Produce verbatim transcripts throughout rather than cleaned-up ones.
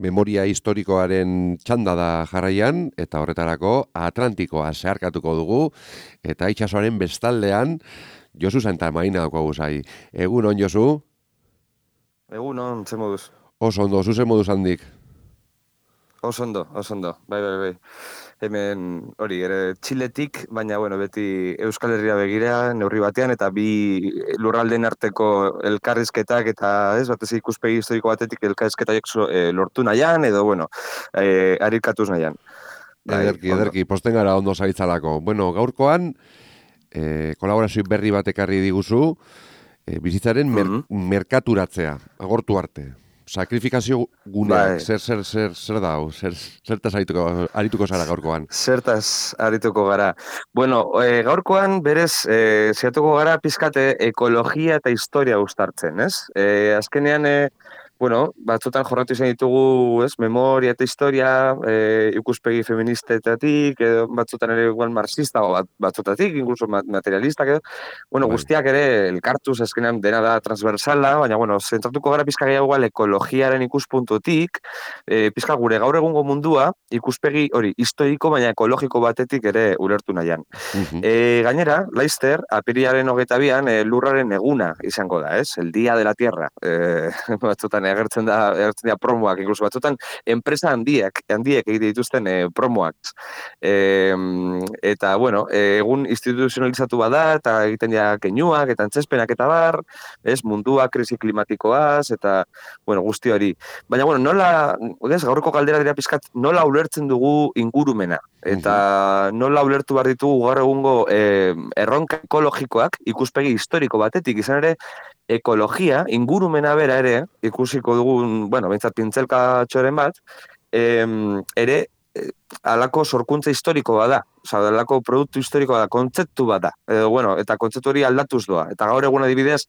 memoria historikoaren txanda da jarraian, eta horretarako Atlantikoa zeharkatuko dugu, eta itsasoaren bestaldean, Josu Santamaina daukagu zai. Egun on, Josu? Egun on, ze moduz? Oso ondo, zuzen moduz handik. Oso ondo, oso ondo, bai, bai, bai. Hemen, hori, ere, Txiletik, baina, bueno, beti Euskal Herria begira, neurri batean, eta bi lurraldeen arteko elkarrizketak, eta, ez, batez ikuspegi historiko batetik elkarrizketak e, lortu nahian, edo, bueno, e, arikatuz nahian. Bai, Ederki, ondo. ederki, posten gara ondo zaitzalako. Bueno, gaurkoan, eh, kolaborazio berri batek arri diguzu, eh, bizitzaren mer Mhm. merkaturatzea, agortu arte. Sakrifikazio guneak, Bai. zer, zer, zer, zer da, zer, zertaz arituko, arituko zara gaurkoan. Zertaz arituko gara. Bueno, e, gaurkoan berez e, ziatuko gara pizkate ekologia eta historia uztartzen, ez? E, azkenean, e, bueno, batzutan jorratu izan ditugu, ez, memoria eta historia, e, ikuspegi feministetatik, edo batzutan ere igual marxista, o bat, batzutatik, incluso materialistak, edo, bueno, Bai. guztiak ere elkartuz azkenean dena da transversala, baina, bueno, zentratuko gara pizka gehiago igual ekologiaren ikuspuntutik, e, pizka gure gaur egungo mundua, ikuspegi hori historiko baina ekologiko batetik ere ulertu nahian. Mhm. E, gainera, Laster, apiriaren hogeita bian, e, lurraren eguna izango da, ez? El Día de la Tierra. E, batzutan agertzen da, agertzen da promoak, incluso batzutan enpresa handiek, handiek egite dituzten e, promoak. E, eta, bueno, e, egun instituzionalizatu bada, eta egiten ja keinuak, eta antzespenak eta bar, ez? Mundua, krisi klimatikoaz, eta, bueno, guzti hori. Baina, bueno, nola, ez, gaurko galdera dira pizkat, nola ulertzen dugu ingurumena? Eta nola ulertu behar ditugu gaur egungo eh, erronka ekologikoak ikuspegi historiko batetik, izan ere, ekologia, ingurumena bera ere, ikusiko dugun, bueno, bintzat pintzelka txoren bat, em, ere, eh, alako sorkuntza historiko bada, oza, alako produktu historiko bada, kontzeptu bada, edo, bueno, eta kontzeptu hori aldatuz doa. Eta gaur egun adibidez,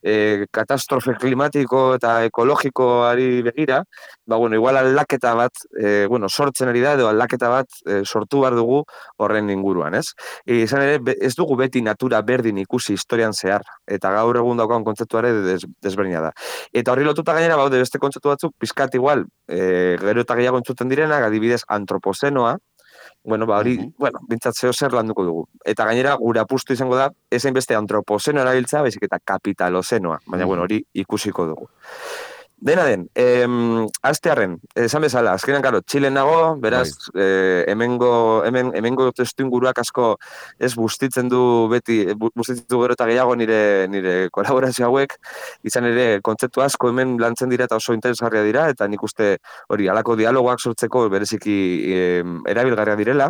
e, katastrofe klimatiko eta ekologikoari begira, ba, bueno, igual aldaketa bat, e, bueno, sortzen ari da, edo aldaketa bat e, sortu behar dugu horren inguruan, ez? E, izan ere, be, ez dugu beti natura berdin ikusi historian zehar, eta gaur egun daukan kontzeptuare des, desberdina da. Eta horri lotuta gainera, baude beste kontzeptu batzuk, pizkat igual, e, gero eta gehiago entzuten direnak, adibidez antropozenoa, bueno, ba, hori, Mhm. bueno, bintzat zeo zer landuko dugu. Eta gainera, gure apustu izango da, ezain beste antropozeno erabiltza, baizik eta kapitalozenoa, baina, bueno, hori ikusiko dugu. Dena den, em, astearren, esan bezala, azkenean, karo, Txilen nago, beraz, Bai. eh, hemengo, hemen, hemengo testu inguruak asko ez bustitzen du beti, bu- bustitzen du gero eta gehiago nire, nire kolaborazio hauek, izan ere, kontzeptu asko hemen lantzen dira eta oso interesgarria dira, eta nik uste hori, halako dialogoak sortzeko bereziki em, erabilgarria direla,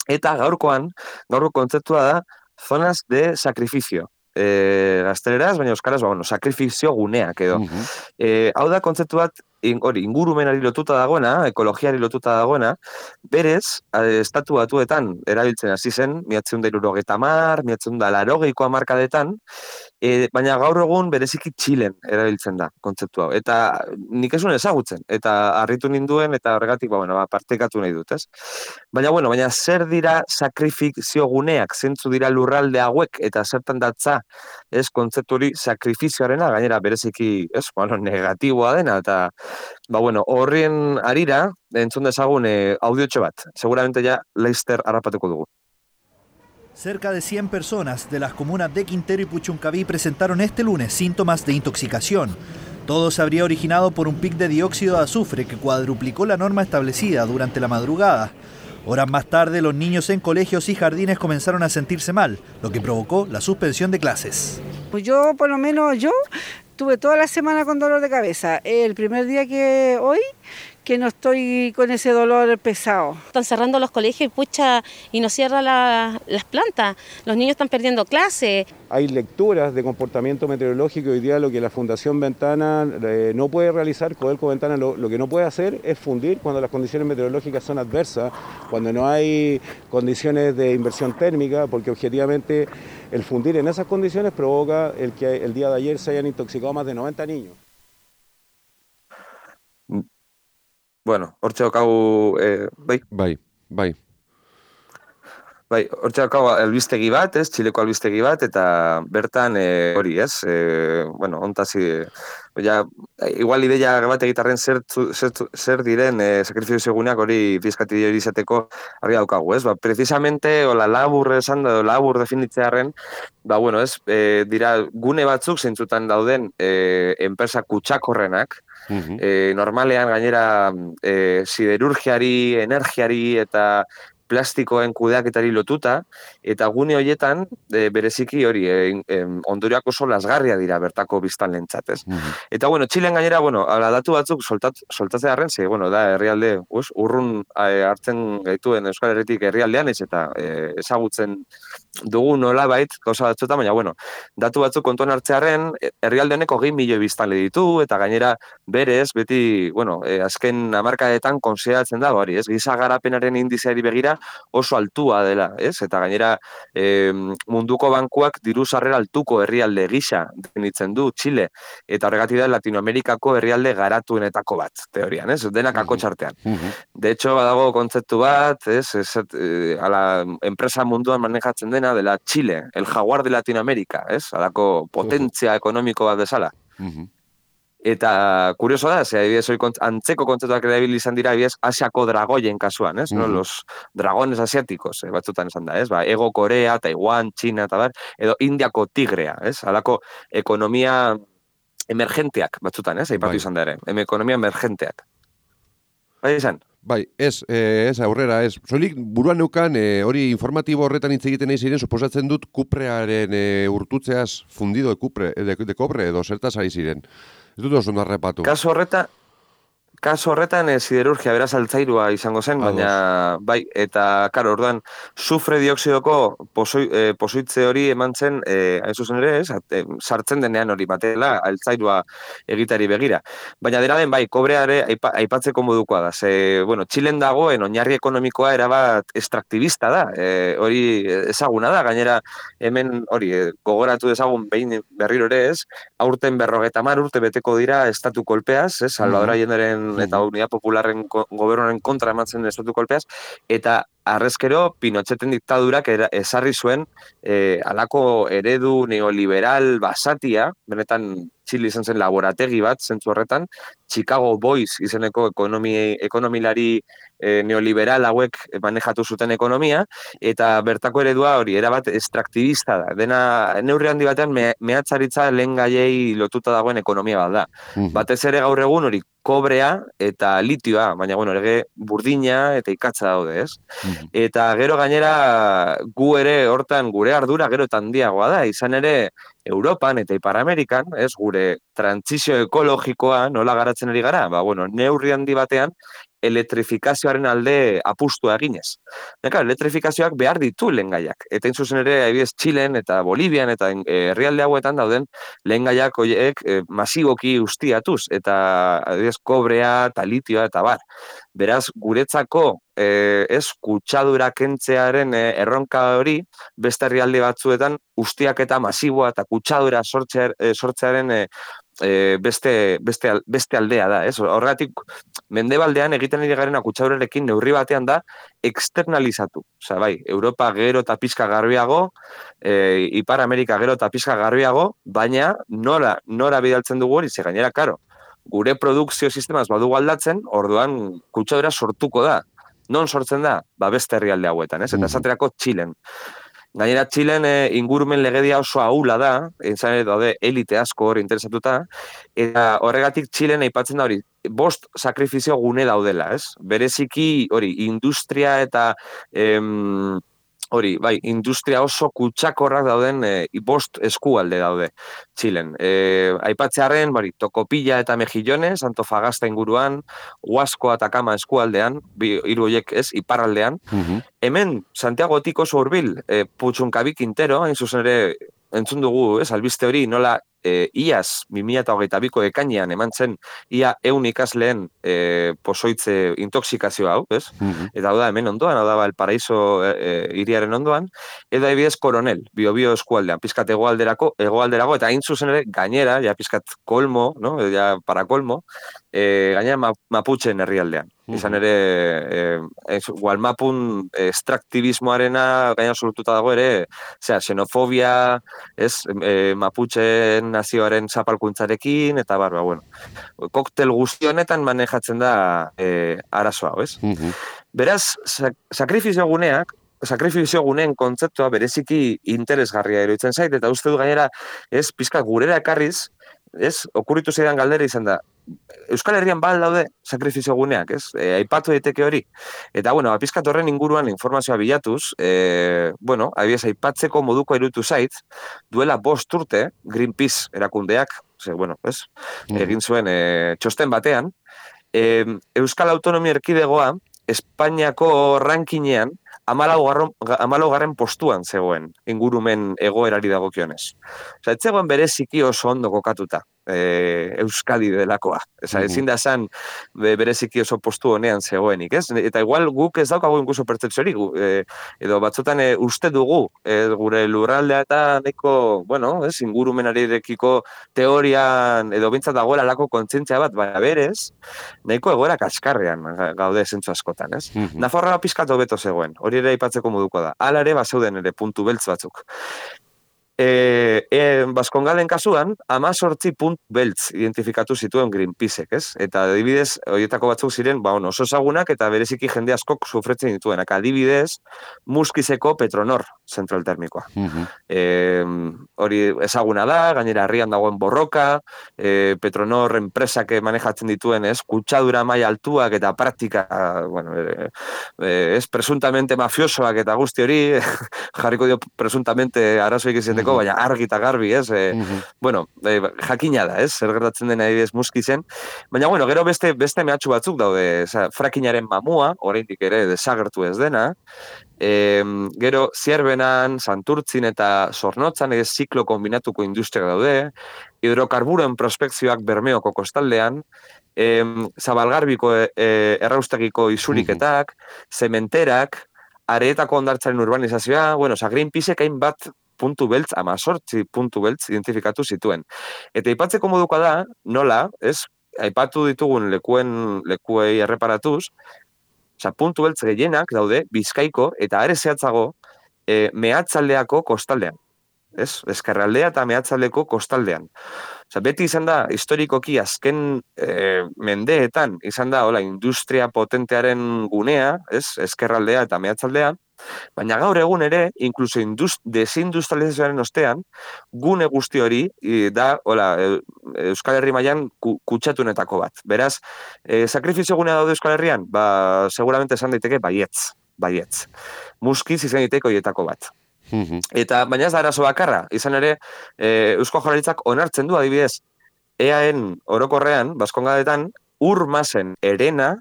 eta gaurkoan, gaurko kontzeptua da, zonas de sacrificio. E, gazteleraz, baina euskaraz, ba, bueno, sakrifizio guneak edo. Mhm. E, hau da kontzeptu bat, in, hori, ingurumenari lotuta dagoena, ekologiari lotuta dagoena, berez, eh, estatu batuetan erabiltzen hasi zen, miatzen da irurogeita mar, miatzen da larogeiko amarkadetan, e, baina gaur egun bereziki Txilen erabiltzen da kontzeptu hau. Eta nik esun ezagutzen, eta harritu ninduen, eta horregatik, ba, bueno, ba, partekatu nahi dut, ez? Baina, bueno, baina zer dira sakrifizio guneak, zentzu dira lurralde hauek, eta zertan datza, ez, kontzeptu hori sakrifizioarena, gainera bereziki, ez, bueno, negatiboa dena, eta, ba, bueno, horrien arira, entzun dezagun eh, audiotxo bat, seguramente ja Leister harrapatuko dugu. Cerca de cien personas de las comunas de Quintero y Puchuncaví presentaron este lunes síntomas de intoxicación. Todo se habría originado por un pic de dióxido de azufre que cuadruplicó la norma establecida durante la madrugada. Horas más tarde, los niños en colegios y jardines comenzaron a sentirse mal, lo que provocó la suspensión de clases. Pues yo, por lo menos yo, tuve toda la semana con dolor de cabeza. El primer día que hoy, que no estoy con ese dolor pesado. Están cerrando los colegios y pucha, y no cierran la, las plantas. Los niños están perdiendo clases. Hay lecturas de comportamiento meteorológico. Hoy día lo que la Fundación Ventana eh, no puede realizar, Codelco Ventana lo, lo que no puede hacer es fundir cuando las condiciones meteorológicas son adversas, cuando no hay condiciones de inversión térmica, porque objetivamente el fundir en esas condiciones provoca el que el día de ayer se hayan intoxicado más de noventa niños. Bueno, hortxe daukagu, eh, bai? Bai, bai. Bai, hortxe daukagu albistegi bat, ez, Txileko albistegi bat, eta bertan e, hori, ez, e, bueno, ontasi, ja, igual ideia bat egitarren zer, zer, zer diren e, sakrifizio eguneak hori fiskati hori izateko argi daukagu, ez, ba, precisamente, ola labur esan, labur definitzearen, ba, bueno, ez, e, dira gune batzuk zeintzutan dauden e, enpresa kutsakorrenak, Mhm. e, normalean gainera e, siderurgiari, energiari eta plastikoen kudeaketari lotuta, eta gune horietan, e, bereziki hori, e, e, ondorioak oso lasgarria dira bertako biztanlentzat, ez? Mhm. Eta, bueno, Txilen gainera, bueno, ala datu batzuk soltat, soltatzea harren, ze, bueno, da, herrialde, us, urrun e, hartzen gaituen Euskal Herritik herrialdean, ez, eta e, ezagutzen dugu nolabait, gauza batzuetan, baina, bueno, datu batzuk kontuan hartzearen, herrialde honek hogei milioi biztanle ditu, eta gainera berez, beti, bueno, e, azken hamarkadetan konsideratzen da, hori, ez, giza garapenaren indizeari begira oso altua dela, ez, eta gainera e, munduko bankuak diru sarrera altuko herrialde gisa definitzen du Txile, eta horregatik da Latinoamerikako herrialde garatuenetako bat, teorian, ez, denak akotxartean. Mhm. De hecho, badago kontzeptu bat, ez, ez, e, ala, enpresa munduan manejatzen dena dela Txile, el jaguar de Latinoamérica, ez, alako potentzia ekonomiko bat bezala. Mhm. Eta kurioso da, ze adibidez hori kont, antzeko kontzeptuak erabili izan dira, adibidez, Asiako dragoien kasuan, ez? No? Mhm. Los dragones asiáticos, eh, batzutan esan da, ez? Ba, Ego Korea, Taiwan, China, eta bar, edo Indiako tigrea, ez? Halako ekonomia emergenteak batzutan, ez? Aipatu Bai. izan da ere, em ekonomia emergenteak. Bai izan? Bai, ez, eh, ez aurrera, ez. Soilik buruan neukan, eh, hori informatibo horretan hitz egiten nahi ziren, suposatzen dut kuprearen eh, urtutzeaz fundido de, kupre, de, de kobre edo zertaz ari ziren. Ez dut oso narrepatu. Kasu horreta, kasu horretan e, siderurgia beraz altzairua izango zen, Ados. baina bai, eta karo, orduan, sufre dioksidoko posoi, e, posoitze hori eman zen, e, hain zuzen ere, ez, at, e, sartzen denean hori batela, altzairua egitari begira. Baina dena den, bai, kobreare aipa, aipatzeko modukoa da. Ze, bueno, Txilen dagoen oinarri ekonomikoa erabat estraktibista da, e, hori ezaguna da, gainera hemen hori, e, gogoratu dezagun behin berriro ere ez, aurten berrogeta hamar urte beteko dira estatu kolpeaz, ez, Salvador Allenderen eta Unidad Popularren ko, gobernuaren kontra ematzen estatu kolpeaz, eta arrezkero Pinocheten diktadurak era, esarri zuen e, alako eredu neoliberal basatia, benetan Txile izan zen laborategi bat, zentzu horretan, Chicago Boys izeneko ekonomi, ekonomilari e, neoliberal hauek manejatu zuten ekonomia, eta bertako eredua hori, erabat estraktibista da. Dena, neurri handi batean, me, mehatzaritza lehen gaiei lotuta dagoen ekonomia bat da. Mhm. Batez ere gaur egun hori kobrea eta litioa, baina bueno, ere burdina eta ikatza daude, ez? Mhm. Eta gero gainera gu ere hortan gure ardura gero eta handiagoa da, izan ere Europan eta Ipar Amerikan, ez, gure trantsizio ekologikoa nola garatzen ari gara, ba bueno, neurri handi batean elektrifikazioaren alde apustua eginez. Neka, elektrifikazioak behar ditu lehengaiak. Eta in zuzen ere, adibidez, Txilen eta Bolivian eta eh, herrialde hauetan dauden lehengaiak horiek eh, masiboki ustiatuz, eta adibidez, kobrea, eta litioa eta bar. Beraz, guretzako eh, ez kutsadura kentzearen eh, erronka hori, beste herrialde batzuetan ustiak eta masiboa eta kutsadura sortzear, eh, sortzearen eh, E, beste, beste, beste aldea da, ez? Horregatik, mendebaldean egiten ari garen kutsadurarekin neurri batean da externalizatu. Osea, bai, Europa gero eta pizka garbiago, e, Ipar Amerika gero eta pizka garbiago, baina nora, nora bidaltzen dugu hori, ze gainera, karo, gure produkzio sistemaz badugu aldatzen, orduan kutsadura sortuko da. Non sortzen da? Ba, beste herrialde hauetan, ez? Eta esaterako Txilen. Gainera, Txilen e, ingurumen legedia oso ahula da, izan ere daude elite asko hori interesatuta, eta horregatik Txilen aipatzen da hori, bost sakrifizio gune daudela, ez? Bereziki hori, industria eta em, hori, bai, industria oso kutsakorrak dauden e, bost eskualde daude Txilen. E, aipatzearen, bari, Tokopilla eta Mejillones, Antofagasta inguruan, Huasko eta Kama eskualdean, bi, hiru horiek ez, iparraldean. Mhm. Hemen, Santiagotik oso hurbil, e, Putxunkabi Quintero, hain zuzen ere, entzun dugu, ez, albiste hori, nola e, iaz, bi mila hogeita biko ekainean eman zen, ia eun ikasleen e, posoitze intoxikazio hau, ez? Mhm. Eta hau da, hemen ondoan, hau da, Valparaiso e, e, iriaren ondoan, eta adibidez Koronel, bio-bio eskualdean, pizkat egoalderako, egoalderago, eta hain zuzen ere, gainera, ja pizkat kolmo, no? Ja para kolmo, e, gaina ma, Mapuchen herrialdean. Izan ere, e, Gualmapun extraktibismoarena gaina solututa dago ere, zera, xenofobia, ez, e, Mapuchen nazioaren zapalkuntzarekin, eta barba, bueno, koktel guzti honetan manejatzen da e, arazo hau, ez? Mhm. Beraz, sak sakrifizio guneak, sakrifizio guneen kontzeptua bereziki interesgarria iruditzen zait, eta uste du gainera, ez, pizka gurera ekarriz, ez, okurritu zeidan galdera izan da, Euskal Herrian bal daude sakrifizio guneak, ez? E, aipatu daiteke hori. Eta, bueno, pizkat horren inguruan informazioa bilatuz, e, bueno, abiez aipatzeko moduko iruditu zait, duela bost urte, Greenpeace erakundeak, ze, bueno, ez, egin zuen e, txosten batean, e, Euskal Autonomia Erkidegoa, Espainiako rankinean, hamalaugarren postuan zegoen, ingurumen egoerari dagokionez. Osa, ez zegoen bereziki oso ondo kokatuta. E, Euskadi delakoa. Eza, ezin da esan bereziki oso postu honean zegoenik, ez? Eta igual guk ez daukagu inkuso pertzepziorik, e, edo batzutan e, uste dugu, e, gure lurraldea eta neko, bueno, ez, ingurumenarekiko teorian, edo bintzat dagoela lako kontzientzia bat, baina berez, nahiko egoera kaskarrean gaude zentzu askotan, ez? Mm -hmm. Nafarroa pizkatu beto zegoen, hori ere aipatzeko moduko da. Hala ere, bazeuden ere puntu beltz batzuk. E, e, Baskongalen kasuan, amazortzi puntu beltz identifikatu zituen Greenpeacek, ez? Eta adibidez, horietako batzuk ziren, ba, oso ezagunak eta bereziki jende askok sufretzen dituenak. Adibidez, Muskizeko Petronor zentral termikoa. Mm-hmm. e, hori ezaguna da, gainera herrian dagoen borroka, e, Petronor enpresak manejatzen dituen, ez? Kutsadura maila altuak eta praktika, bueno, e, e, ez presuntamente mafiosoak eta guzti hori, jarriko dio presuntamente arazoik izateko, baina argi eta garbi, ez? E, mm-hmm. Bueno, e, jakina da, ez? Zer gertatzen dena adibidez Muskizen. Baina, bueno, gero beste beste mehatxu batzuk daude, oza, frakinaren mamua, oraindik ere desagertu ez dena, e, gero Zierbenan, Santurtzin eta Zornotzan ez ziklo kombinatuko industria daude, hidrokarburoen prospekzioak Bermeoko kostaldean, e, Zabalgarbiko e, e, erraustegiko isuriketak, zementerak, areetako hondartzaren urbanizazioa, bueno, oza, Greenpeacek hainbat puntu beltz, amazortzi puntu beltz identifikatu zituen. Eta aipatzeko moduko da, nola, ez, aipatu ditugun lekuen, lekuei erreparatuz, oza, puntu beltz gehienak daude Bizkaiko eta are zehatzago e, mehatzaldeako kostaldean. Ez? Ezkerraldea eta mehatzaldeko kostaldean. Oza, beti izan da, historikoki azken e, mendeetan, izan da, hola, industria potentearen gunea, ez? Ezkerraldea eta mehatzaldea, baina gaur egun ere, inkluso desindustrializazioaren ostean, gune guzti hori da, hola, Euskal Herri mailan kutsatunetako bat. Beraz, e, sakrifizio gunea daude Euskal Herrian? Ba, seguramente esan daiteke baietz, baietz. Muskiz izan daiteke horietako bat. Eta, baina ez da arazo bakarra, izan ere, e, Eusko Jaurlaritzak onartzen du adibidez, eaen orokorrean, Baskongaletan, ur masen erena,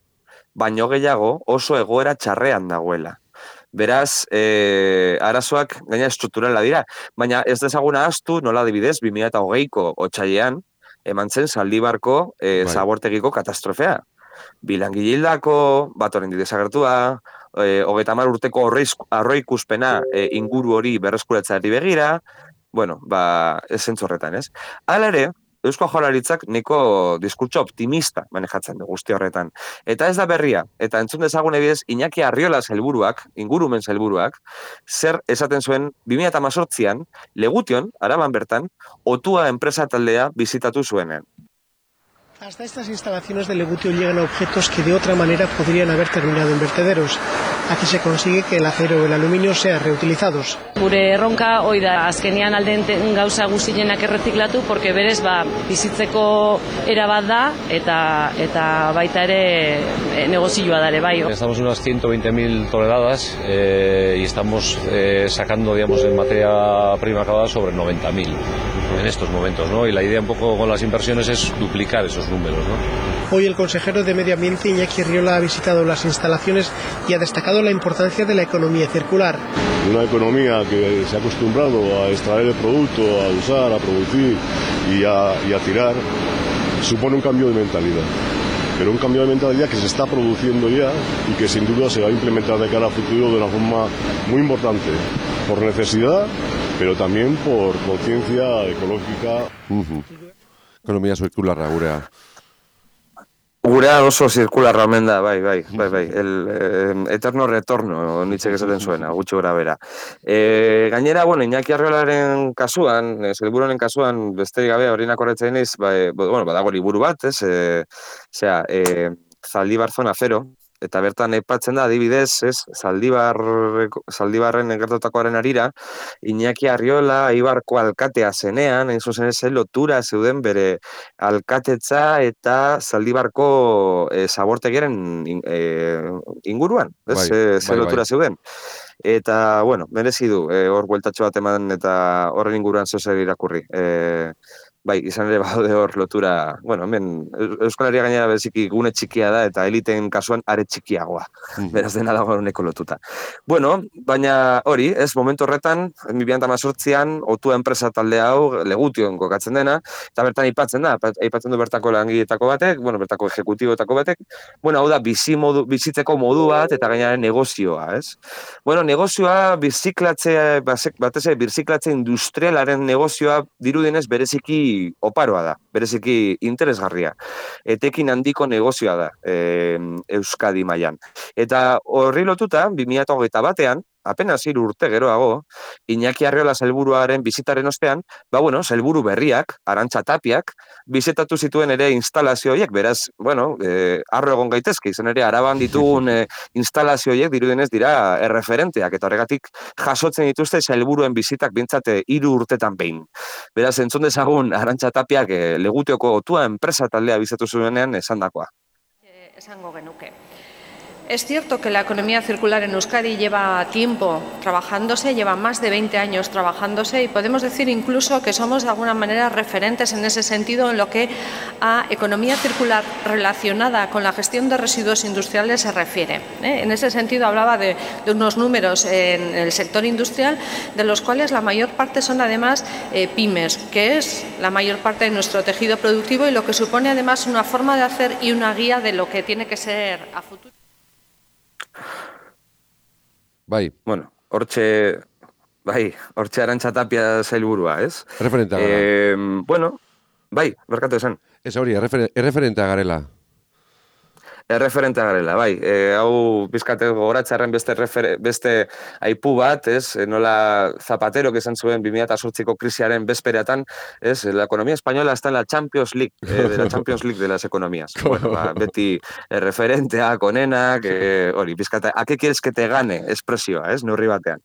baino gehiago oso egoera txarrean dagoela. Beraz, e, arazoak gaina estrukturala dira, baina ez dezaguna ahaztu, nola adibidez, bi mila hogeiko otsailean eman zen Zaldibarko e, zabortegiko katastrofea. Bilangilildako, bat horrein desagertua, e, hogeita hamar urteko arroikuspena e, inguru hori berreskuratzeari begira, bueno, ba, ez zentzu horretan, ez? Hala ere, Eusko Jaurlaritzak niko diskurtso optimista manejatzen du guzti horretan. Eta ez da berria, eta entzun dezagun ebiez, Iñaki Arriola sailburuak, ingurumen sailburuak, zer esaten zuen bi mila hemezortzian, Legution, Araban bertan, Otua enpresa taldea bizitatu zuenean. Hasta estas instalaciones de Legutio llegan objetos que de otra manera podrían haber terminado en vertederos. Aquí se consigue que el acero o el aluminio sean reutilizados. Gure erronka hoi da azkenean alden gauza guztienak erreziklatu, porque berez ba bizitzeko era bat da eta eta baita ere negozioa da ere bai. Estamos en unas ciento veinte mil toneladas eh, y estamos eh, sacando, digamos, en materia prima acabada sobre noventa mil en estos momentos, ¿no? Y la idea un poco con las inversiones es duplicar esos números, ¿no? Hoy el consejero de Medio Ambiente, Iñaki Arriola, ha visitado las instalaciones y ha destacado la importancia de la economía circular. Una economía que se ha acostumbrado a extraer el producto, a usar, a producir y a, y a tirar, supone un cambio de mentalidad. Pero un cambio de mentalidad que se está produciendo ya y que sin duda se va a implementar de cara al futuro de una forma muy importante, por necesidad, pero también por conciencia ecológica. Uh-huh. Ekonomia zirkularra gurea. Gurea oso zirkularra omen da, bai, bai, bai, bai, el eh, eterno retorno, nitzek esaten zuena, gutxi gora bera. E, gainera, bueno, Iñaki Arriolaren kasuan, e, Sailburuaren kasuan, besterik gabe, horinak horretzen naiz, ba, e, bueno, badago liburu bat, ez, e, zera, e, Zaldibar Zona Zero, eta bertan aipatzen da, adibidez, ez, Zaldibar, Zaldibarren gertatakoaren arira, Iñaki Arriola, Eibarko alkatea zenean, hain zuzen ez, lotura zeuden bere alkatetza eta Zaldibarko e, zabortegiaren in, e, inguruan, ez, Bai, e, bai, ze lotura bai. zeuden. Eta, bueno, merezi du, e, hor bueltatxo bat eman eta horren inguruan zozer irakurri. E, bai, izan ere badaude hor lotura, bueno, hemen Euskal Herria gainera bereziki gune txikia da eta eliteen kasuan are txikiagoa. Beraz dena dago honeko lotuta. Bueno, baina hori, ez momentu horretan, mila bederatziehun eta hemezortzian, Otua enpresa talde hau Legution kokatzen dena, eta bertan aipatzen da, aipatzen du bertako langileetako batek, bueno, bertako ejecutiboetako batek, bueno, hau da bizi modu, bizitzeko modu bat eta gainaren negozioa, ez? Bueno, negozioa birziklatze, batez ere birziklatze industrialaren negozioa dirudienez bereziki oparoa da, bereziki interesgarria. Etekin handiko negozioa da e, Euskadi mailan. Eta horri lotuta, bi mila hogeita batean, apenas hiru urte geroago, Iñaki Arriola sailburuaren bizitaren ostean, ba bueno, sailburu berriak, Arantxa Tapiak, bizitatu zituen ere instalazio horiek, beraz, bueno, eh, arro egon gaitezke, izan ere Araban ditugun eh, instalazio horiek dirudenez dira erreferenteak, eta horregatik jasotzen dituzte sailburuen bizitak bintzate hiru urtetan behin. Beraz, entzun dezagun Arantxa Tapiak eh, Legutioko Otua enpresa taldea bizitatu zuenean esandakoa. Eh, esango genuke. Es cierto que la economía circular en Euskadi lleva tiempo trabajándose, lleva más de veinte años trabajándose y podemos decir incluso que somos de alguna manera referentes en ese sentido en lo que a economía circular relacionada con la gestión de residuos industriales se refiere. ¿eh? En ese sentido hablaba de, de unos números en el sector industrial, de los cuales la mayor parte son además eh, pymes, que es la mayor parte de nuestro tejido productivo y lo que supone además una forma de hacer y una guía de lo que tiene que ser a futuro. Bai. Bueno, hortxe, bai, hortxe Arantxa Tapia sailburua, ez? Erreferentea gara. Eh, bueno, bai, berkatu esan. Ez hori, erreferentea garela. Erreferentea garela, bai. E, hau bizkate gogoratzearen beste, refer, beste aipu bat, ez? Nola Zapatero, que esan zuen bi mila zortziko krisiaren bezpereatan, ez? La economía española está en la Champions League, eh, de la Champions League de las economías. Bueno, ba, beti erreferenteak, onenak, eh, hori, bizkate, ¿a qué quieres que te gane? Espresioa, ez? Neurri batean.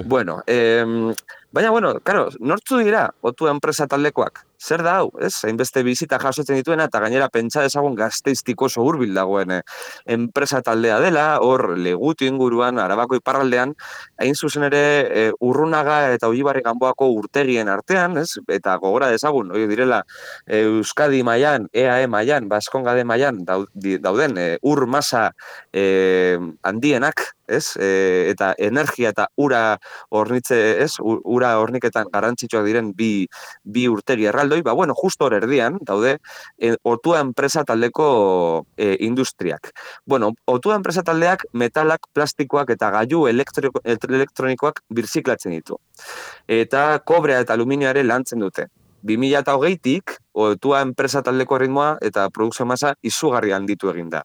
Bueno, eh, baina, bueno, claro, nortzu dira Otua enpresa taldekoak? Zer da hau, ez? Hainbeste bizita jasotzen dituena eta gainera pentsa dezagun Gasteiztiko oso hurbil dagoen eh, enpresa taldea dela, hor Legutio inguruan, Arabako iparraldean, hain zuzen ere eh, Urrunaga eta Oibarri Ganboako urtegien artean, ez? Eta gogora dezagun, hori direla eh, Euskadi mailan, E A E mailan, Baskongade mailan dauden eh, ur masa eh, handienak, ez? E, eta energia eta ura hornitze, ez? Ura horniketan garrantzitsuak diren bi, bi urtegi erraldoi, ba, bueno, justo hor erdian, daude, e, Otua enpresa taldeko e, industriak. Bueno, Otua enpresa taldeak metalak, plastikoak eta gailu elektronikoak birziklatzen ditu. Eta kobrea eta aluminioare lantzen dute. bi mila hogeitik, Otua enpresa taldeko ritmoa eta produkzio masa izugarri handitu egin da.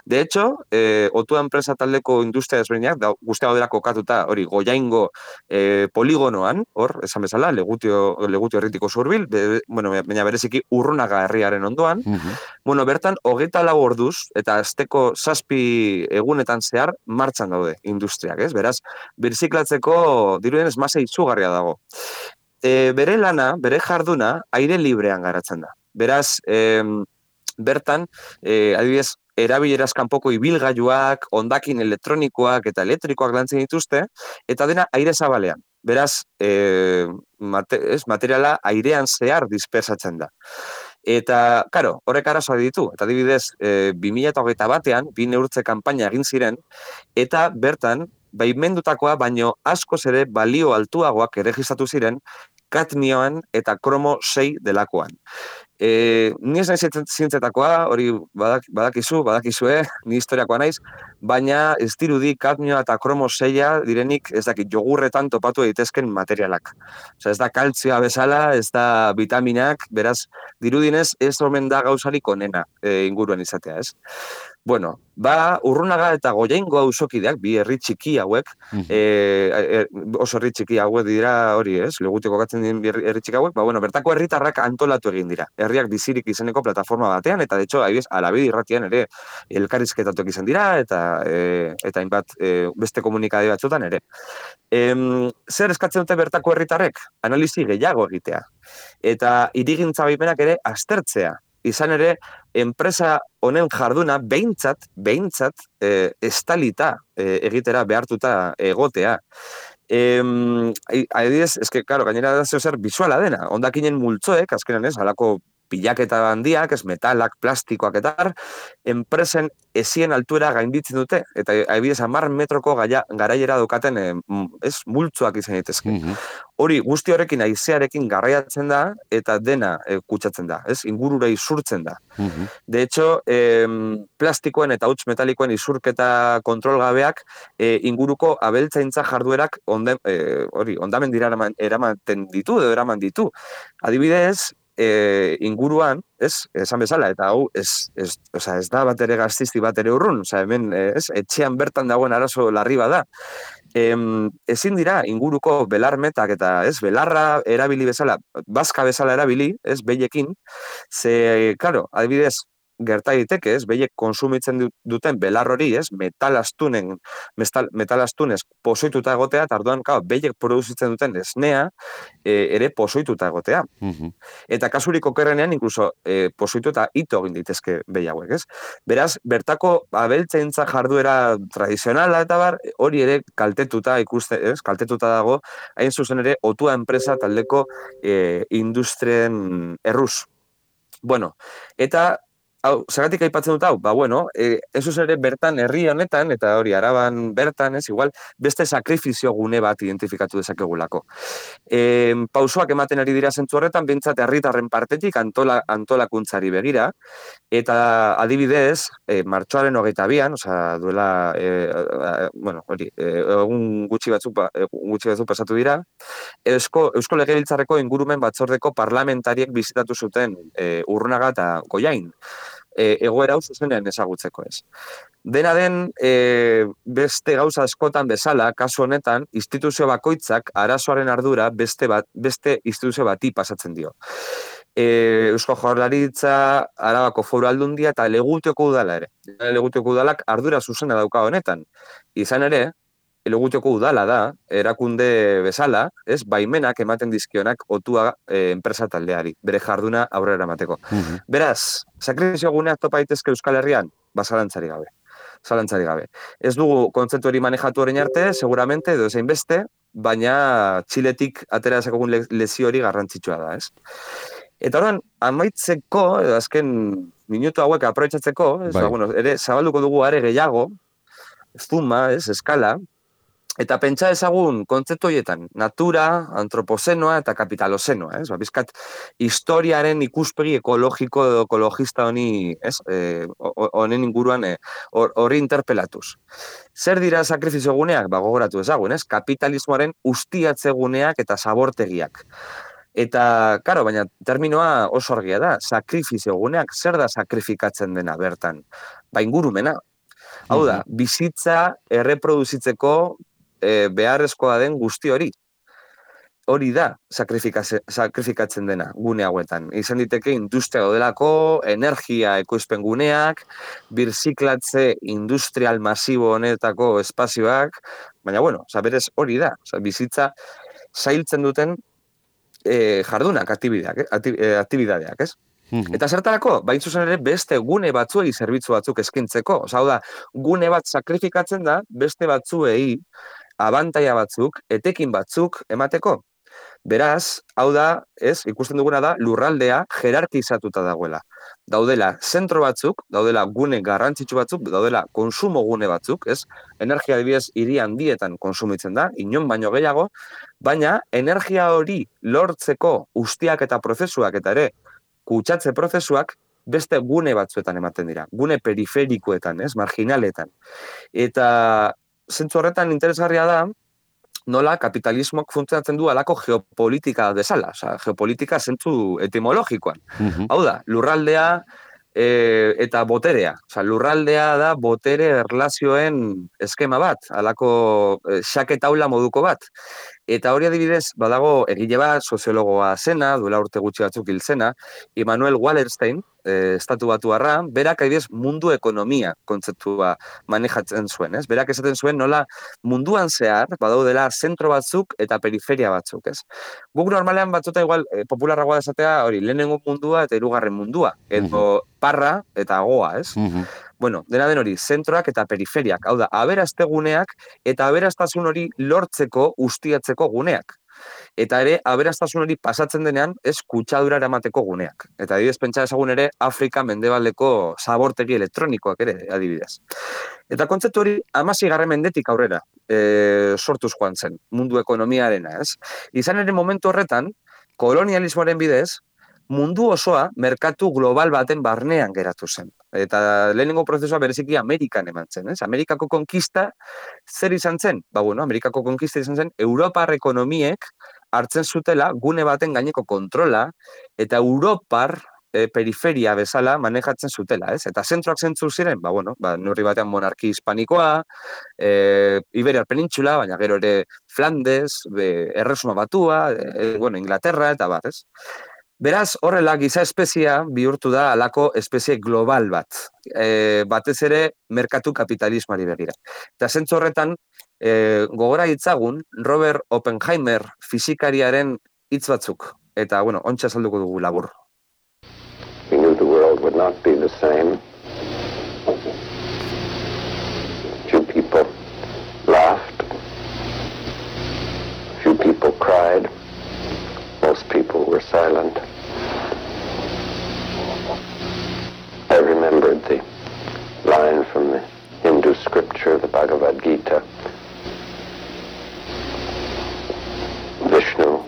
De hecho, eh, Otua enpresa taldeko industria desberdinak, da, guztia gaudela kokatuta, hori, Goiaingo eh, poligonoan, hor, esan bezala, Legutio, Legutio herritiko zurbil, be, bueno, baina bereziki Urrunaga herriaren ondoan, uh-huh. Bueno, bertan, hogeita lau orduz, eta azteko zazpi egunetan zehar, martxan daude industriak, ez? Beraz, birziklatzeko dirudenez masa izugarria dago. E, bere lana, bere jarduna, aire librean garatzen da. Beraz, e, bertan, e, adibidez, erabileraz kanpoko ibilgailuak, hondakin elektronikoak eta elektrikoak lantzen dituzte, eta dena aire zabalean. Beraz, e, mate, ez, materiala airean zehar dispersatzen da. Eta, karo, horrek arazoa ditu. Eta adibidez, e, bi mila hogeita batean, bi neurtze kanpaina egin ziren, eta bertan, baimendutakoa baino askoz ere balio altuagoak erregistratu ziren kadmioan eta kromo sei delakoan. E, ni ez naiz zientzetakoa, hori badak, badakizu, badakizue, ni historiakoa naiz, baina ez dirudi kadmioa eta kromo seia direnik, ez dakit, jogurretan topatu daitezken materialak. Osea, ez da kaltzioa bezala, ez da vitaminak, beraz, dirudinez ez omen da gauzarik onena e, inguruan izatea, ez? Bueno, ba, Urrunaga eta Goiaingo auzokideak, bi herri txiki hauek, mm -hmm. e, e, oso herri txiki hauek dira hori, ez? Legutiko katzen diren herri txiki hauek, ba, bueno, bertako herritarrak antolatu egin dira. Herriak bizirik izeneko plataforma batean, eta de hecho, ahibiz, Alabedi irratian ere elkarrizketatuak izan dira, eta e, eta hainbat e, beste komunikade batzutan ere. E, zer eskatzen dute bertako herritarrek? Analizi gehiago egitea. Eta hirigintza baimenak ere aztertzea. Izan ere, enpresa honen jarduna behintzat, behintzat, e, estalita e, egitera behartuta egotea. E, adibidez, eske, claro, gainera da zer bisuala dena. Hondakinen multzoek, azkenan ez, halako pilaketa handiak, ez metalak, plastikoak eta enpresen ezien altuera gainditzen dute, eta adibidez hamar metroko gaia, garaiera daukaten e, ez, multzoak izan daitezke. Mm -hmm. Hori, guzti horrekin haizearekin garraiatzen da, eta dena e, kutsatzen da, ez? Ingurura isurtzen da. Mm -hmm. De hecho, e, plastikoen eta huts metalikoen isurketa kontrolgabeak e, inguruko abeltzaintza jarduerak onde, e, hori, ondamen dira eraman, eramaten ditu, edo eraman ditu. Adibidez, E, inguruan, ez, esan bezala, eta hau, ez, ez, oza, ez da bat ere gaztizti bat ere urrun, oza, hemen, ez, etxean bertan dagoen arazo larri bada. E, ezin dira, inguruko belarmetak eta, ez, belarra erabili bezala, bazka bezala erabili, ez, behiekin, ze, claro, adibidez, gerta daiteke, ez, behiek konsumitzen duten belar hori, ez, metalastunen, metalastunez pozoituta egotea, eta orduan, claro, behiek produzitzen duten esnea, e, ere pozoituta egotea. Mm-hmm. Eta kasurik okerrenean, inkluso, e, pozoituta ito egin daitezke behi hauek, ez? Beraz, bertako abeltzaintza jarduera tradizionala eta bar, hori ere kaltetuta ikuste, ez, kaltetuta dago, hain zuzen ere, Otua enpresa taldeko e, industrien erruz. Bueno, eta hau, zagatik aipatzen dut hau, ba bueno, e, ez ere bertan herri honetan, eta hori Araban bertan, ez, igual, beste sakrifizio gune bat identifikatu dezakegulako. E, pausoak ematen ari dira zentzu horretan, bintzat herritarren partetik antola, antolakuntzari begira, eta adibidez, e, martxoaren hogeita bian, osea, duela, e, e, bueno, hori, e, egun gutxi batzuk, e, gutxi batzuk pasatu dira, Eusko, Eusko Legebiltzarreko ingurumen batzordeko parlamentariek bizitatu zuten e, Urrunaga eta Goiain. E, egoera hau zuzenean ezagutzeko ez. Dena den, e, beste gauza askotan bezala, kasu honetan, instituzio bakoitzak arazoaren ardura beste, bat, beste instituzio bati pasatzen dio. E, Eusko Jaurlaritza, Arabako Foru Aldundia eta Legutioko udala ere. Legutioko udalak ardura zuzena dauka honetan. Izan ere, Legutioko udala da, erakunde bezala, ez, baimenak ematen dizkionak Otua e, enpresa taldeari, bere jarduna aurrera emateko. Mm-hmm. Beraz, sakrifizio guneak topa daitezke Euskal Herrian, ba, zalantzari gabe. Zalantzari gabe. Ez dugu kontzeptu hori manejatu orain arte, seguramente, edo ezein beste, baina Txiletik atera dezakogun le lezio hori garrantzitsua da, ez? Eta orain, amaitzeko, edo azken minutu hauek aprobetxatzeko, ez, ba, bueno, ere, zabalduko dugu are gehiago, zuma, ez, eskala, eta pentsa ezagun kontzeptu horietan, natura, antropozenoa eta kapitalozenoa, ez? Ba, bizkat, historiaren ikuspegi ekologiko edo ekologista honi, ez? Honen e, inguruan hori e, interpelatuz. Zer dira sakrifizio guneak? Ba, gogoratu ezagun, ez? Kapitalismoaren ustiatze guneak eta zabortegiak. Eta, karo, baina terminoa oso argia da, sakrifizio guneak, zer da sakrifikatzen dena bertan? Ba, ingurumena. Hau da, bizitza erreproduzitzeko E, beharrezkoa den guzti hori. Hori da sakrifikatzen dena gune hauetan. Izan diteke industria dodelako, energia ekoizpen guneak, birziklatze industrial masibo honetako espazioak, baina bueno, berez hori da. Oza, bizitza zailtzen duten e, jardunak, aktibidadeak, aktibidadeak, ez? Eta zertarako, bain zuzen ere beste gune batzuei zerbitzu batzuk eskintzeko. Oza, hau da, gune bat sakrifikatzen da beste batzuei abantaia batzuk, etekin batzuk emateko. Beraz, hau da, ez, ikusten duguna da, lurraldea jerarkizatuta dagoela. Daudela zentro batzuk, daudela gune garrantzitsu batzuk, daudela konsumo gune batzuk, ez? Energia adibidez hiri handietan konsumitzen da, inon baino gehiago, baina energia hori lortzeko ustiak eta prozesuak eta ere kutsatze prozesuak beste gune batzuetan ematen dira, gune periferikoetan, ez, marginaletan. Eta zentzu horretan interesgarria da, nola kapitalismoak funtzionatzen du alako geopolitika bezala, oza, geopolitika zentzu etimologikoan. Mhm. Hau da, lurraldea e, eta boterea. Oza, lurraldea da botere erlazioen eskema bat, alako e, xake taula moduko bat. Eta hori adibidez, badago egile bat, soziologoa zena, duela urte gutxi batzuk hil zena, Immanuel Wallerstein, e, estatu batuarra, berak adibidez mundu ekonomia kontzeptua manejatzen zuen, ez? Berak esaten zuen nola munduan zehar, badaudela zentro batzuk eta periferia batzuk, ez? Guk normalean batzuta igual e, popularragoa da esatea, hori, lehenengo mundua eta hirugarren mundua, edo parra eta goa, ez? Mhm. Bueno, dena den hori, zentroak eta periferiak, hau da, aberazte guneak eta aberaztasun hori lortzeko ustiatzeko guneak. Eta ere, aberaztasun hori pasatzen denean, ez kutsadura eramateko guneak. Eta adibidez, pentsa ezagun ere, Afrika mendebaldeko zabortegi elektronikoak ere, adibidez. Eta kontzeptu hori, hamaseigarren mendetik aurrera e, sortuz joan zen, mundu ekonomiarena, ez? Izan ere momentu horretan, kolonialismoaren bidez, mundu osoa merkatu global baten barnean geratu zen. Eta lehenengo prozesua bereziki Amerikan eman zen, ez? Amerikako konkista zer izan zen? Ba, bueno, Amerikako konkista izan zen Europar ekonomiek hartzen zutela gune baten gaineko kontrola eta Europar e, periferia bezala manejatzen zutela, ez? Eta zentroak zentzu ziren, ba, bueno, ba, neurri batean monarki hispanikoa, e, Iberiar penintxula, baina gero ere Flandes, e, Erresuma Batua, e, bueno, Inglaterra, eta bar, ez? Beraz, horrela, giza espezia bihurtu da alako espezie global bat. E, batez ere, merkatu kapitalismoari begira. Eta zentzu horretan, e, gogora hitzagun, Robert Oppenheimer fisikariaren hitz batzuk. Eta, bueno, ontsa azalduko dugu labur. We knew the world would not be the same. Few people laughed. Few people cried. Most people were silent. I remembered the line from the Hindu scripture, the Bhagavad Gita. Vishnu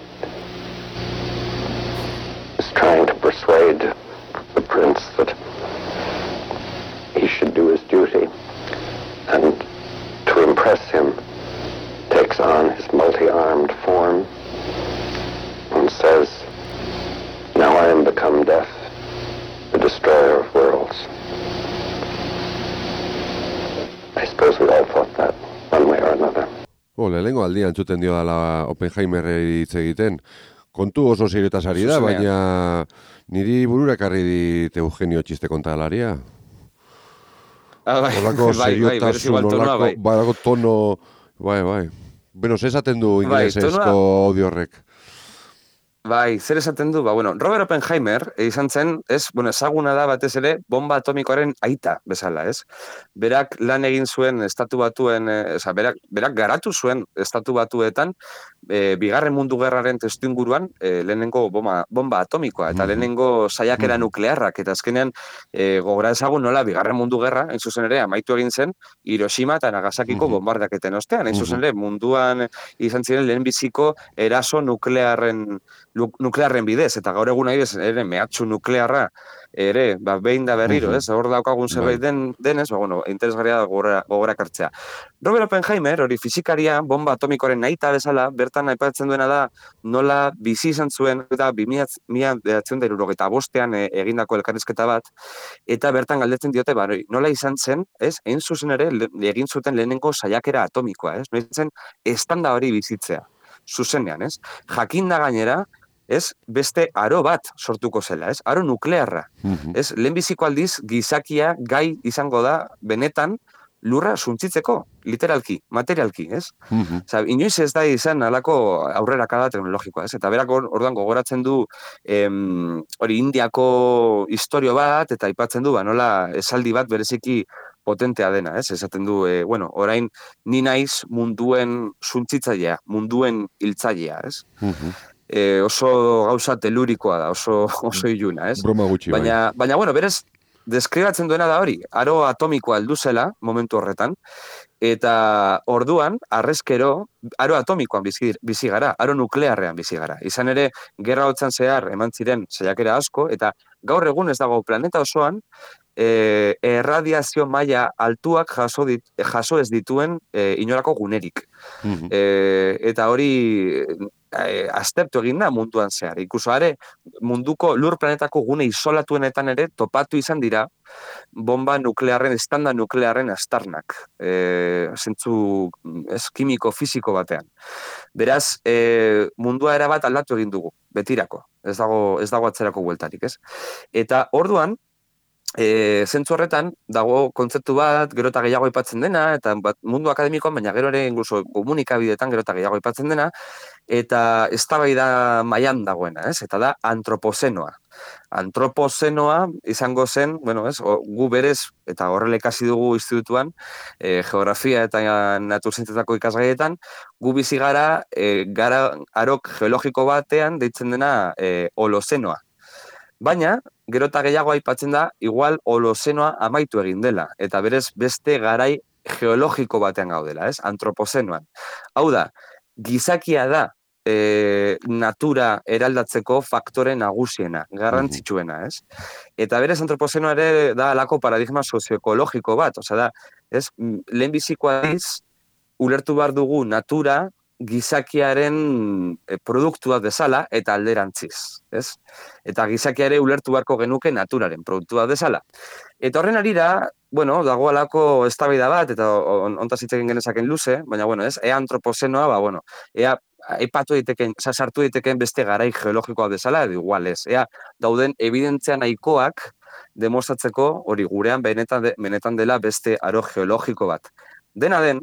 is trying to persuade the prince that he should do his duty, and to impress him takes on his multi-armed form and says, "Now I am become death, the destroyer of worlds." I suppose we all thought that one way or another. Oh, lehenengo aldia entzuten dio dala Oppenheimerri hitz egiten. Kontu oso serioetaz ari da, baina niri burura ekarri dit Eugenio txiste kontalaria. Ah, bai, olako bai, bai, berez igual tonoa, bai. Olako tono, bai, bai. Bueno, ze esaten du inglesezko bai, audio horrek? Bai, zer esaten du? Ba, bueno, Robert Oppenheimer izan zen, ez, bueno, ezaguna da batez ere bomba atomikoaren aita bezala, ez? Berak lan egin zuen estatu batuen, e, oza, berak, berak garatu zuen estatu batuetan, e, bigarren mundu gerraren testuinguruan, e, lehenengo bomba, bomba atomikoa, eta lehenengo saiakera nuklearrak, eta azkenean e, gogora ezagun nola bigarren mundu gerra, hain zuzen ere, amaitu egin zen, Hiroshima eta Nagasakiko bombardaketen ostean, hain zuzen ere, munduan izan ziren lehenbiziko eraso nuklearren nuklearren bidez, eta gaur egun adibidez ere mehatxu nuklearra ere, ba, behin da berriro, ez? Hor daukagun zerbait den, denez, ba, bueno, interesgarria da gogora, gogora kartzea. Robert Oppenheimer, hori fizikaria, bomba atomikoaren nahita bezala, bertan aipatzen duena da, nola bizi izan zuen, eta bi mila bederatziehun eta hirurogeita bostean e, egindako elkarrizketa bat, eta bertan galdetzen diote, ba, nola izan zen, ez? Egin zuzen ere, le, egin zuten lehenengo saiakera atomikoa, ez? Nola izan zen, estanda hori bizitzea, zuzenean, ez? Jakinda gainera, ez, beste aro bat sortuko zela, ez? Aro nuklearra. Mhm. Ez, lehenbiziko aldiz gizakia gai izango da benetan lurra suntzitzeko, literalki, materialki, ez? Mhm. Osa, inoiz ez da izan alako aurrerakada teknologikoa, ez? Eta berak or- orduan gogoratzen du em, hori Indiako historio bat, eta aipatzen du, ba, nola esaldi bat bereziki potentea dena, ez? Esaten du, e, bueno, orain ni naiz munduen suntzitzailea, munduen hiltzailea, ez? Mhm. E, oso gauza telurikoa da, oso, oso iluna, ez? Broma gutxi, bai. Baina, baina, bueno, berez, deskribatzen duena da hori, aro atomikoa heldu zela, momentu horretan, eta orduan, arrezkero, aro atomikoan bizi, bizi gara, aro nuklearrean bizi gara. Izan ere, gerra hotzan zehar eman ziren saiakera asko, eta gaur egun ez dago planeta osoan, E, erradiazio maila altuak jaso, dit, jaso ez dituen e, inolako gunerik. Mhm. E, eta hori e, aztertu egin da munduan zehar. Ikuso are, munduko lur planetako gune isolatuenetan ere topatu izan dira bomba nuklearren, estanda nuklearren astarnak. E, zentzu ez kimiko, fisiko batean. Beraz, e, mundua erabat aldatu egin dugu, betirako. Ez dago, ez dago atzerako bueltarik, ez? Eta orduan, E, zentzu horretan, dago kontzeptu bat, gero eta gehiago aipatzen dena, eta bat, mundu akademikoan, baina gero ere incluso komunikabideetan gero eta gehiago aipatzen dena, eta eztabaida mailan dagoena, ez? Eta da antropozenoa. Antropozenoa izango zen, bueno, ez, o, gu berez, eta horrela ikasi dugu institutuan, e, geografia eta naturzientetako ikasgaietan, gu bizi gara, e, gara arok geologiko batean deitzen dena e, holozenoa. Baina, gero eta gehiago aipatzen da, igual holozenoa amaitu egin dela, eta berez beste garai geologiko batean gaudela, ez? Antropozenoan. Hau da, gizakia da e, natura eraldatzeko faktore nagusiena, garrantzitsuena, ez? Eta berez antropozenoa ere da alako paradigma sozioekologiko bat, osea da, ez? Lehenbizikoa iz, ulertu behar dugu natura gizakiaren produktua bezala eta alderantziz, ez? Eta gizakia ere ulertu beharko genuke naturaren produktua bezala. Eta horren arira, bueno, dago alako eztabaida bat, eta ontaz hitz egin genezaken luze, baina, bueno, ez, ea antropozenoa, ba, bueno, ea aipatu daiteken, sartu daiteken beste garai geologikoa bezala, edo igual ez, ea dauden evidentzia nahikoak demostratzeko hori gurean benetan, de, benetan dela beste aro geologiko bat. Dena den,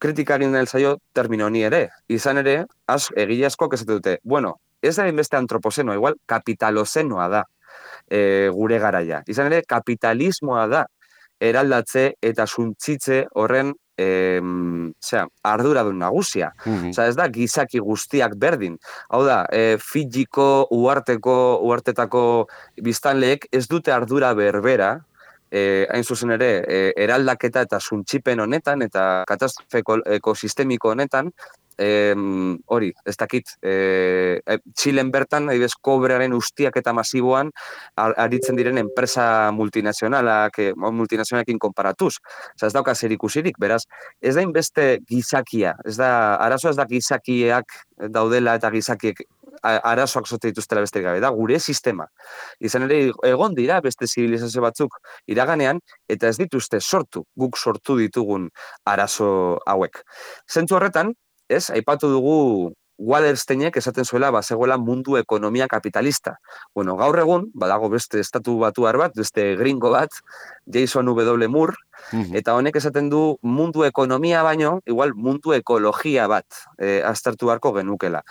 kritikari nahi zaio termino honi ere. Izan ere, az, egile askok ez dute, bueno, ez da beste antropozenoa, igual kapitalozenoa da e, gure garaia. Izan ere, kapitalismoa da eraldatze eta suntzitze horren e, zera, arduradun nagusia. Mm-hmm. Osa, ez da gizaki guztiak berdin. Hau da, e, Fijiko, uarteko, uartetako biztanleek ez dute ardura berbera, E, hain zuzen ere, e, eraldaketa eta suntsipen honetan, eta katastrofe ekosistemiko honetan, e, hori, ez dakit, e, Txilen bertan, adibidez, kobrearen ustiak eta masiboan, aritzen diren enpresa multinazionalak, e, multinazionalekin konparatuz. Osa, ez dauka zer ikusirik, beraz, ez da inbeste gizakia, ez da, arazoa ez da gizakiak daudela eta gizakiek arazoak zote dituztela besterik gabe, da gure sistema. Izan ere, egon dira beste zibilizazio batzuk iraganean, eta ez dituzte sortu, guk sortu ditugun arazo hauek. Zentzu horretan, ez, aipatu dugu Wallersteinek esaten zuela, bazegoela mundu ekonomia kapitalista. Bueno, gaur egun, badago beste estatu batuar bat, beste gringo bat, Jason W. Moore, mm-hmm. eta honek esaten du mundu ekonomia baino, igual mundu ekologia bat e, aztertu beharko genukela.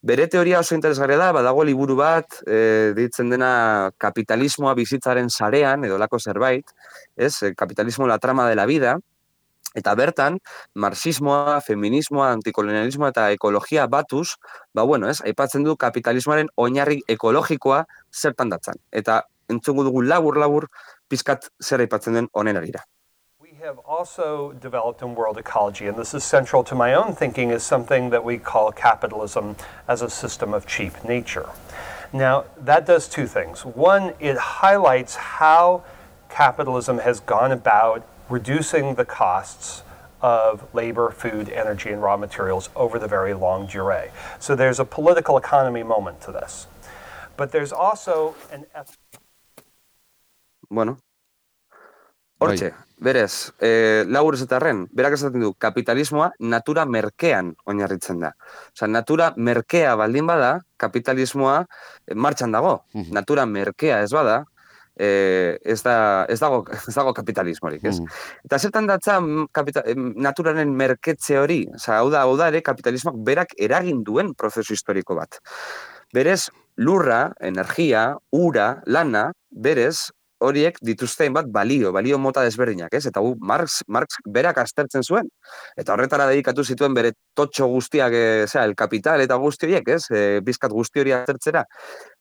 Bere teoria oso interesgarria da, badago liburu bat, e, ditzen dena kapitalismoa bizitzaren sarean, edo lako zerbait, ez, kapitalismo la trama de la vida, eta bertan, marxismoa, feminismoa, antikolonialismoa eta ekologia batuz, ba bueno, ez, aipatzen du kapitalismoaren oinarri ekologikoa zertan datzan. Eta entzungu dugu labur-labur pizkat zer aipatzen den honen arira. We have also developed in world ecology, and this is central to my own thinking, is something that we call capitalism as a system of cheap nature. Now, that does two things. One, it highlights how capitalism has gone about reducing the costs of labor, food, energy, and raw materials over the very long durée. So there's a political economy moment to this. But there's also an... Bueno, hortxe, berez, e, labur ezetarren, berak esaten du, kapitalismoa natura merkean oinarritzen da. Osa, natura merkea baldin bada, kapitalismoa martxan dago. Mm-hmm. Natura merkea ez bada, e, ez, da, ez, dago, ez dago kapitalismorik, ez? Mm-hmm. Eta zertan datza kapita, naturaren merketze hori, osa, hau da, hau da ere kapitalismoak berak eragin duen prozesu historiko bat. Berez, lurra, energia, ura, lana, berez, horiek dituzten bat balio, balio mota desberdinak, ez? Eta gu, Marx, Marx berak aztertzen zuen. Eta horretara dedikatu zituen bere totxo guztiak, e, zera, el kapital eta guzti horiek, ez? E, bizkat guzti hori aztertzera.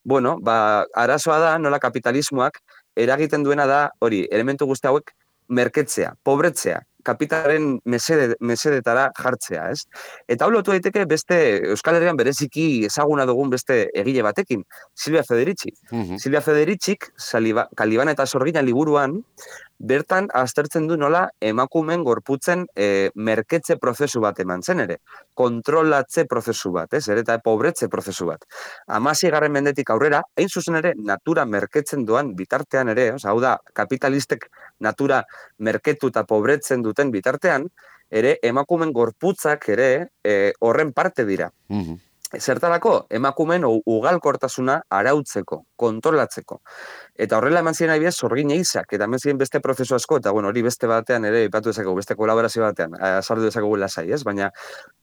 Bueno, ba, arazoa da, nola kapitalismoak eragiten duena da, hori, elementu guzti hauek merketzea, pobretzea. kapitalaren mesede, mesedetara jartzea, ez? Eta hau lotu daiteke beste Euskal Herrian bereziki ezaguna dugun beste egile batekin, Silvia Federici. Uh-huh. Silvia Federicik, Kaliban eta Sorgina liburuan, bertan aztertzen du nola emakumen gorputzen e, merketze prozesu bat eman zen ere, kontrolatze prozesu bat, ez, ere, eta pobretze prozesu bat. Hamaseigarren mendetik aurrera, hain zuzen ere, natura merketzen doan bitartean ere, oza, hau da, kapitalistek natura merketu eta pobretzen duten bitartean, ere, emakumen gorputzak ere e, horren parte dira. Uh-huh. Zertarako, emakumen ugalkortasuna arautzeko, kontrolatzeko. Eta horrela eman ziren adibidez Sorgina Isak, eta eman ziren beste prozesu asko, eta bueno, hori beste batean ere ipatu dezakegu, beste kolaborazio batean, azaldu dezakegu lasai, ez? Baina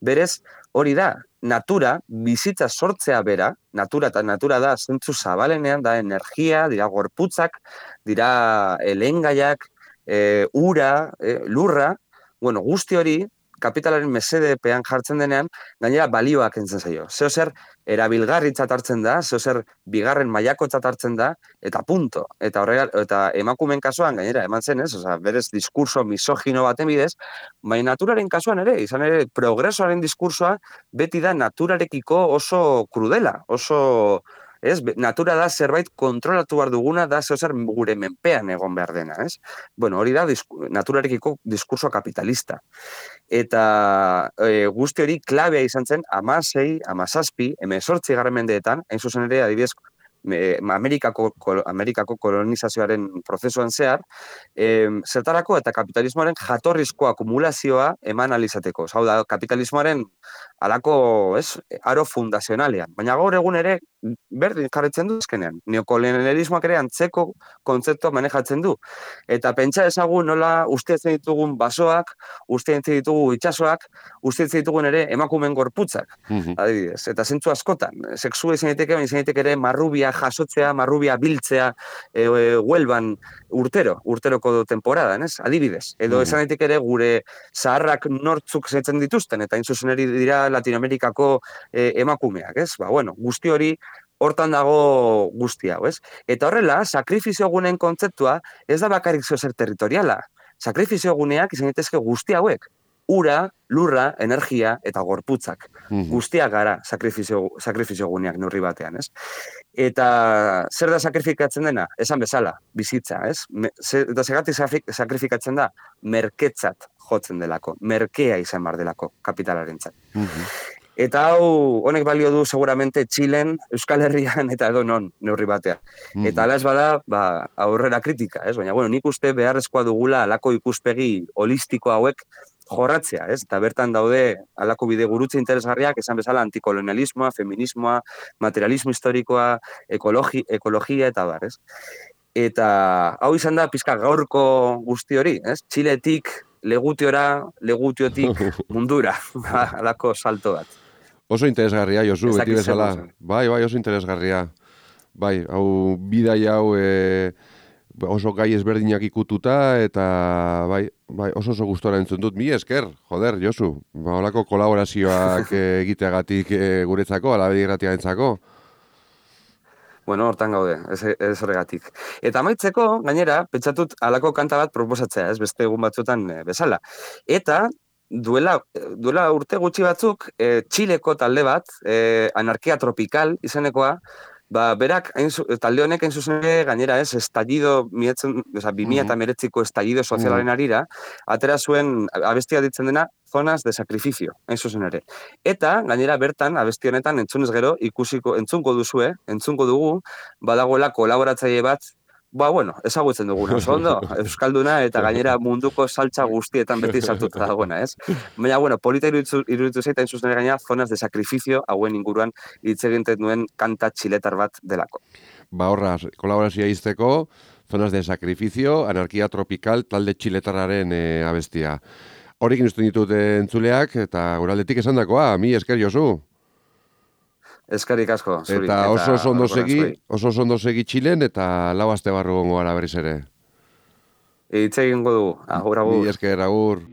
berez, hori da, natura, bizitza sortzea bera, natura eta natura da, zentzu zabalenean, da energia, dira gorputzak, dira elengaiak, e, ura, e, lurra, bueno, guzti hori, kapitalaren mesedepean jartzen denean, gainera balioak entzen zaio. Zeo zer erabilgarritzat hartzen da, zeo zer bigarren mailakotzat hartzen da, eta punto. Eta horrega, eta emakumen kasuan, gainera, eman zen, ez? Oza, berez diskurso misogino baten bidez, baina naturaren kasuan ere, izan ere, progresoaren diskursoa beti da naturarekiko oso krudela, oso... Ez, natura da zerbait kontrolatu behar duguna, da zeo zer gure menpean egon behar dena, ez? Bueno, hori da disku, naturarekiko diskurso kapitalista. Eta e, guzti hori klabea izan zen, amasei, amazazpi, emezortzi garren mendeetan, hain zuzen ere, adibidez, Amerikako, Amerikako kolonizazioaren prozesuan zehar, e, zertarako eta kapitalismoaren jatorrizko akumulazioa eman alizateko. Hau da, kapitalismoaren alako, ez, aro fundazionalean. Baina gaur egun ere, berdin jarretzen du ezkenean. Neokolonialismoak ere antzeko kontzeptua manejatzen du. Eta pentsa ezagun nola usteetzen ditugun basoak, usteetzen ditugu itsasoak, usteetzen ditugun ere emakumen gorputzak. Uh-huh. Adibidez. Eta zentzu askotan. Sexua izan daiteke, baina izan daiteke ere marrubia jasotzea, marrubia biltzea, e, e, huelban urtero, urteroko temporadan, ez? Adibidez. Edo uh-huh. esan daiteke ere gure zaharrak nortzuk zetzen dituzten, eta inzuzen eri dira Latinoamerikako e, emakumeak, ez? Ba, bueno, guzti hori hortan dago guzti hau, ez? Eta horrela, sakrifizio gunen kontzeptua ez da bakarrik zer territoriala. Sakrifizio guneak izan daitezke guzti hauek. Ura, lurra, energia eta gorputzak. Mm-hmm. Guztiak gara sakrifizio, sakrifizio guneak neurri batean, ez? Eta zer da sakrifikatzen dena? Esan bezala, bizitza, ez? Me, ze, eta segatik sakrifikatzen da, merketzat jotzen delako, merkea izan bar delako kapitalarentzat. Mm-hmm. Eta hau, honek balio du seguramente Txilen, Euskal Herrian eta edo non neurri batean. Mm. Eta ala ez bada, ba, aurrera kritika, ez? Baina, bueno, nik uste beharrezkoa dugula alako ikuspegi holistiko hauek jorratzea, ez? Eta bertan daude alako bide gurutze interesgarriak, esan bezala antikolonialismoa, feminismoa, materialismo historikoa, ekologi, ekologia eta bar, ez? Eta hau izan da pizka gaurko guzti hori, ez? Txiletik, legutiora, legutiotik mundura, alako salto bat. Oso interesgarria, Josu, beti bezala. Bai, bai, oso interesgarria. Bai, hau, bidai hau e, oso gai ezberdinak ikututa, eta bai, bai, oso oso gustora entzun dut. Mi esker, joder, Josu, ba, holako kolaborazioak egiteagatik e, guretzako, alabe irratia entzako. Bueno, hortan gaude, ez, ez horregatik. Eta amaitzeko, gainera, pentsatut alako kanta bat proposatzea, ez beste egun batzutan e, bezala. Eta, duela, duela urte gutxi batzuk, e, Txileko talde bat, e, Anarkia Tropikal izenekoa, ba, berak, hain, talde honek hain zuzen ere, gainera ez, estallido, mietzen, oza, bi mila eta meretziko estallido sozialaren arira, atera zuen abestia ditzen dena, zonas de sacrificio, hain zuzen ere. Eta, gainera bertan, abesti honetan, entzunez gero, ikusiko, entzunko duzue, entzunko dugu, badagoela kolaboratzaile bat, ba, bueno, ezagutzen duguna, oso ondo, euskalduna eta gainera munduko saltza guztietan beti saltuta dagoena, ez? Baina, bueno, polita iruditu, iruditu zaita, entzuz nire gaina, zonas de sacrificio, hauen inguruan, hitz egiten duen kanta txiletar bat delako. Ba, horra, kolaborazioa izteko, zonas de sacrificio, Anarkia Tropikal, talde txiletarraren e, abestia. Horrekin usten ditut entzuleak, eta guraldetik esan dakoa, mi esker Josu. Eskerrik asko, zuri. Eta oso ondo segi, oso ondo segi Txilen, eta lau aste barru gongo gara berriz ere. Hitz egingo dugu, agur, agur. Mi esker, agur.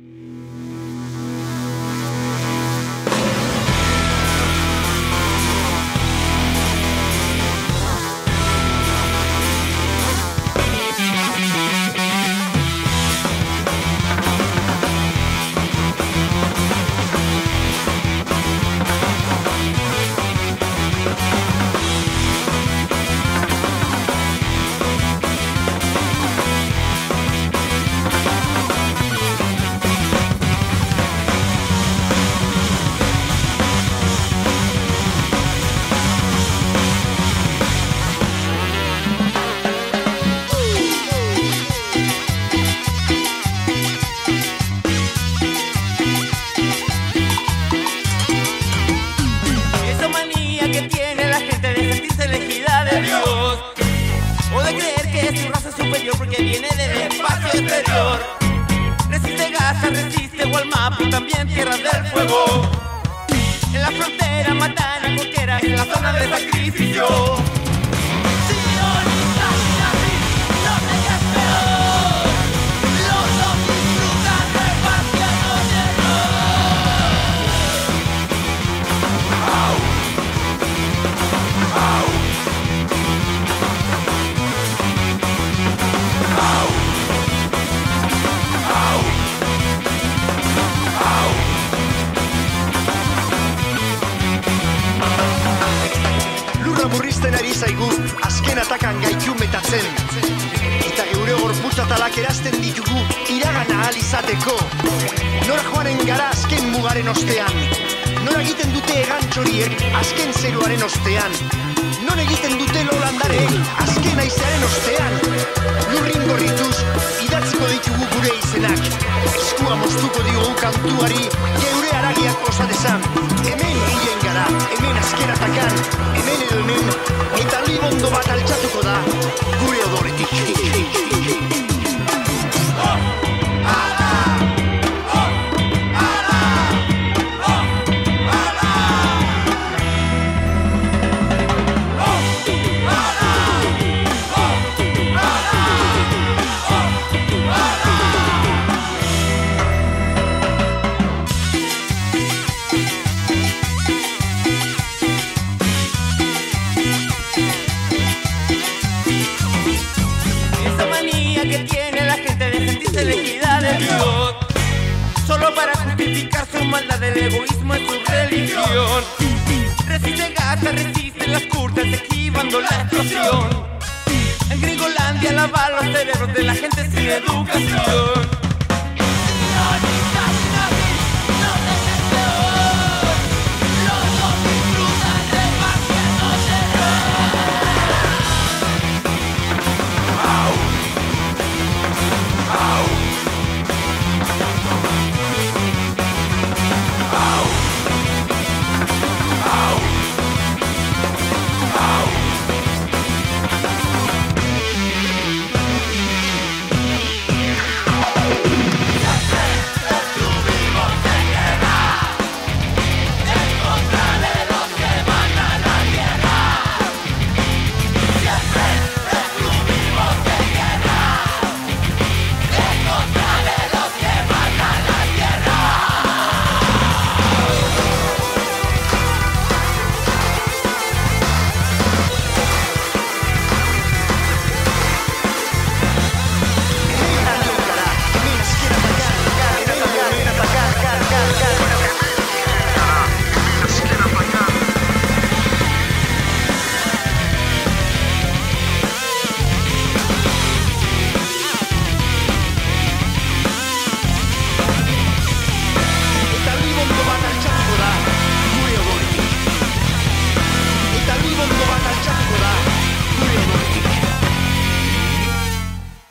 Gaza resiste, Gualmapu también tierra del fuego. En la frontera matan a cualquiera, en la zona de sacrificio. Murrizten ari zaigu, azken atakan gaitu metatzen. Eta geure gorputzatalak erazten ditugu, iragana ahal izateko. Nora joanen gara azken mugaren ostean. Nora egiten dute egantxoriek, azken zeruaren ostean. Non egiten dute lolandarek, azken aizearen ostean. Lurrin gorrituz, idatziko ditugu gure izenak. Eskua moztuko diogu kantuari, geure aragiak osadezan. Hemen hilen gara, hemen azken atakan, hemen edo hemen, eta libondo bat altxatuko da, gure odoretik. Solo para justificar su maldad, el egoísmo es su religión. Resiste Gaza, resisten las kurdas, esquivando la explosión. En Gringolandia lava los cerebros de la gente sin educación.